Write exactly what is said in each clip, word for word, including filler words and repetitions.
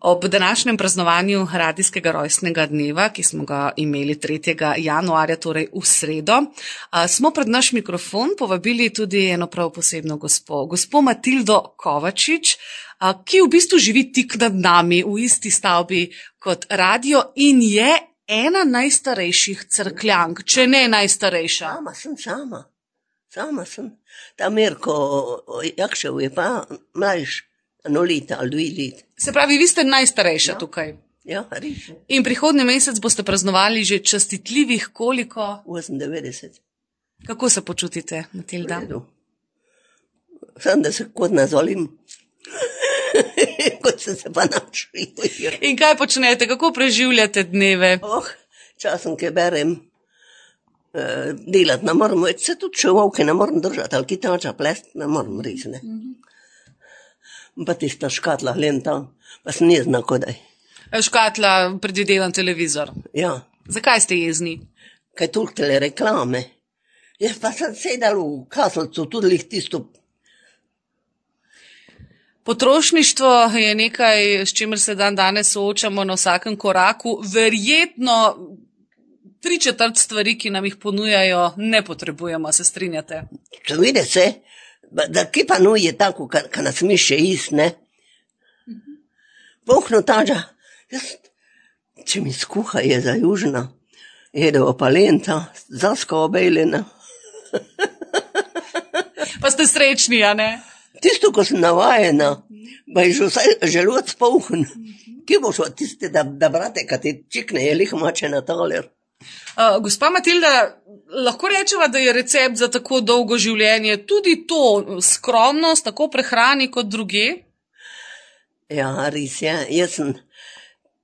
Ob današnjem praznovanju radijskega rojstnega dneva, ki smo ga imeli tretjega januarja, torej v sredo, smo pred naš mikrofon povabili tudi eno prav posebno gospo, gospo Matildo Kovačič, ki v bistvu živi tik nad nami v isti stavbi kot radio in je ena najstarejših Cerkljank, če ne najstarejša. Sama sem, sama. Sama sem. Ta Mirko Jakšev je pa mlajš, eno leta ali dve let. Se pravi, vi ste najstarejša ja. Tukaj. Ja, res. In prihodnji mesec boste praznovali že častitljivih koliko? osemindevetdeset. Kako se počutite, Matilda? Sam, da se kot nazolim. Kot sem se pa naučil. In kaj počnete, kako preživljate dneve? Oh, časom, ki berem, uh, delati ne moram, se tudi čevalke ne moram držati, ali kitača plest ne moram res, ne. Mm-hmm. Pa tista škatla lenta, pa sem jezna kodaj. Škatla, predvidevam televizor. Ja. Zakaj ste jezni? Kaj toliko tele reklame. Jaz pa sem sedal v Kaselcu, tudi lih tisto. Potrošništvo je nekaj, s čimer se dan danes soočamo na vsakem koraku. Verjetno tri četrt stvari, ki nam jih ponujajo, ne potrebujemo, se strinjate? To vidi se, da ki pa nuje tako, ka nas miše ist, ne? Pohno tađa, jaz, če mi skuha je za južna, jedo opalenta, zaska obejljena. Pa ste srečni, a ne? Tisto, ko sem navajena, pa je že vsaj želod spolhn. Kje boš od tiste, da, da brate, kad ti čikne, je lih mače na taler. Uh, gospa Matilda, lahko rečeva, da je recept za tako dolgo življenje tudi to skromnost, tako prehrani kot druge? Ja, res je. Jaz sem,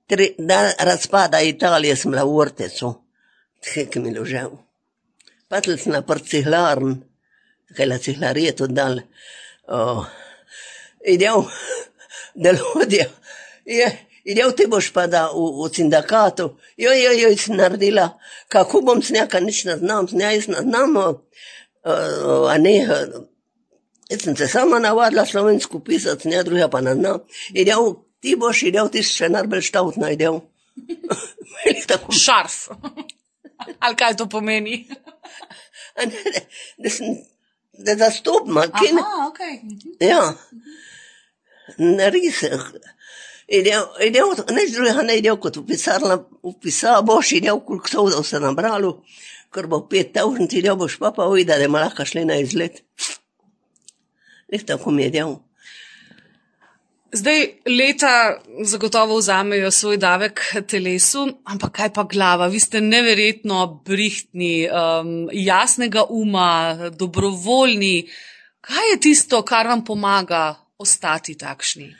tri, da razpada Italije sem bila v Ortecu, tkaj mi ložel. Patel sem na prt cihlarn, kaj la cihlarije to dal. Oh, idel, delodja, je, idel ti boš pa da v, v sindikatu, joj, joj, joj, si naredila, kako bom s njaka nič ne znam, s njaj ne znam, uh, a ne, jaz sem se sama navadila slovensko pisati, s nja druga pa ne znam, idel, ti boš idel, ti še najbolj štautna idel. Šarf, ali kaj to pomeni? A ne, ne, da sem, da zastopima. Aha, okej. Ja. Res. Idel, idel, neč drugega ne idel kot v pisarna, v pisarna, boš idel, koliko sovdov se nabralo, ker bo pet tavžnic, idel boš pa pa ujda, da ima lahko šli na izlet. Nek tako mi je idel. Zdaj, leta zagotovo vzamejo svoj davek telesu, ampak kaj pa glava? Vi ste neverjetno brihtni, um, jasnega uma, dobrovoljni. Kaj je tisto, kar vam pomaga ostati takšni?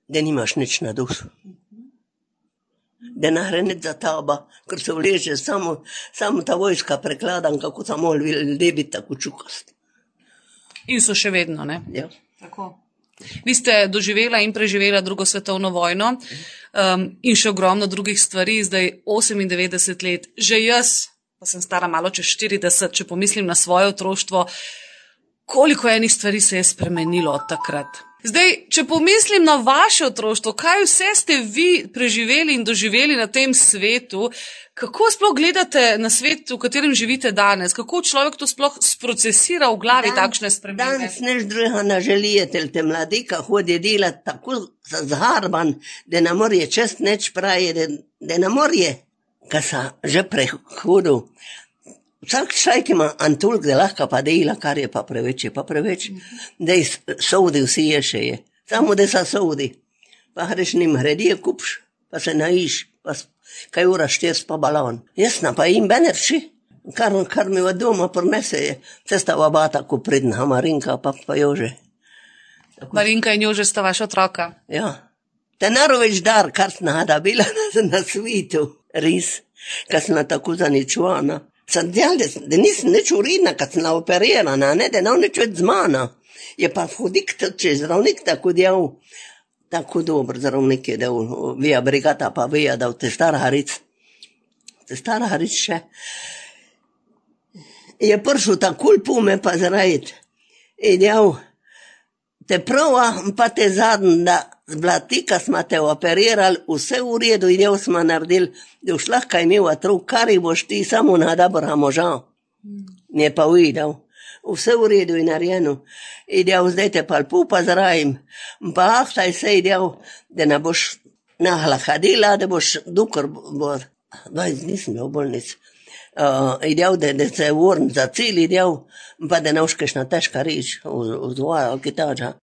Da nimaš nič na dušu. Da ne nič za taba, ker se vleže samo, samo ta vojska prekladan, kako samo ljudje biti tako čukasti. In so še vedno, ne? Ja. Tako. Vi ste doživela in preživela drugo svetovno vojno um, in še ogromno drugih stvari, zdaj osemindevetdeset let. Že jaz, pa sem stara malo čez štirideset, če pomislim na svoje otroštvo, koliko enih stvari se je spremenilo od takrat. Zdaj, če pomislim na vaše otroštvo, kaj vse ste vi preživeli in doživeli na tem svetu, kako sploh gledate na svet, v katerem živite danes? Kako človek to sploh sprocesira v glavi Dan, takšne spremembe? Danes nič druga ne želite, te mladika hodi delati tako zharban, da ne morje čest neč pravi, da, da ne morje, ka sa že prehodil. Vsak človek ima antulk, da lahko pa dela, kar je pa preveč, je pa preveč. Da je sodi vsi je še je. Samo da sa sodi. Pa hreš njim hredije kupš, pa se naiš, pa kaj ura štirs pa balon. Jasna, pa im benerči. Kar, kar mi v doma prinese je. Cesta vabata, ko pridna, Marinka pa pa Jože. Tako. Marinka in Jože sta vaša otroka. Ja. Te naroveč dar, kar snada bila na, na svitu. Res, kar sna tako zaničuvana. Sam djel, da, da nisem nič uredna, kad sem operirana, ne, da ne nič več z mana. Je pa hodik, če zdravnik tako djel, tako dober zdravnik je, da vija brigata pa vija, da v te stara haric. Te stara haric še. Je pršel takul pume pa zrajit. I djel, te prva, pa te zadn, da bila ti, ko smo te operirali, vse v redu, idejo smo naredili, da už lahko imel otrok, kar jih boš ti samo na dobra moža. Ne pa uvidel. Vse v redu je narejeno. Idejo, zdaj te pa lepo pozdravim. Pa ahtaj se idejo, da ne boš nahla hadila, da boš, dokor bo, dvajset dni sem bil v bolnici. Uh, idejo, da, da se vrn za cilj, idejo, pa da ne uškeš na težka reč, v, v dvoja, ali kaj tača.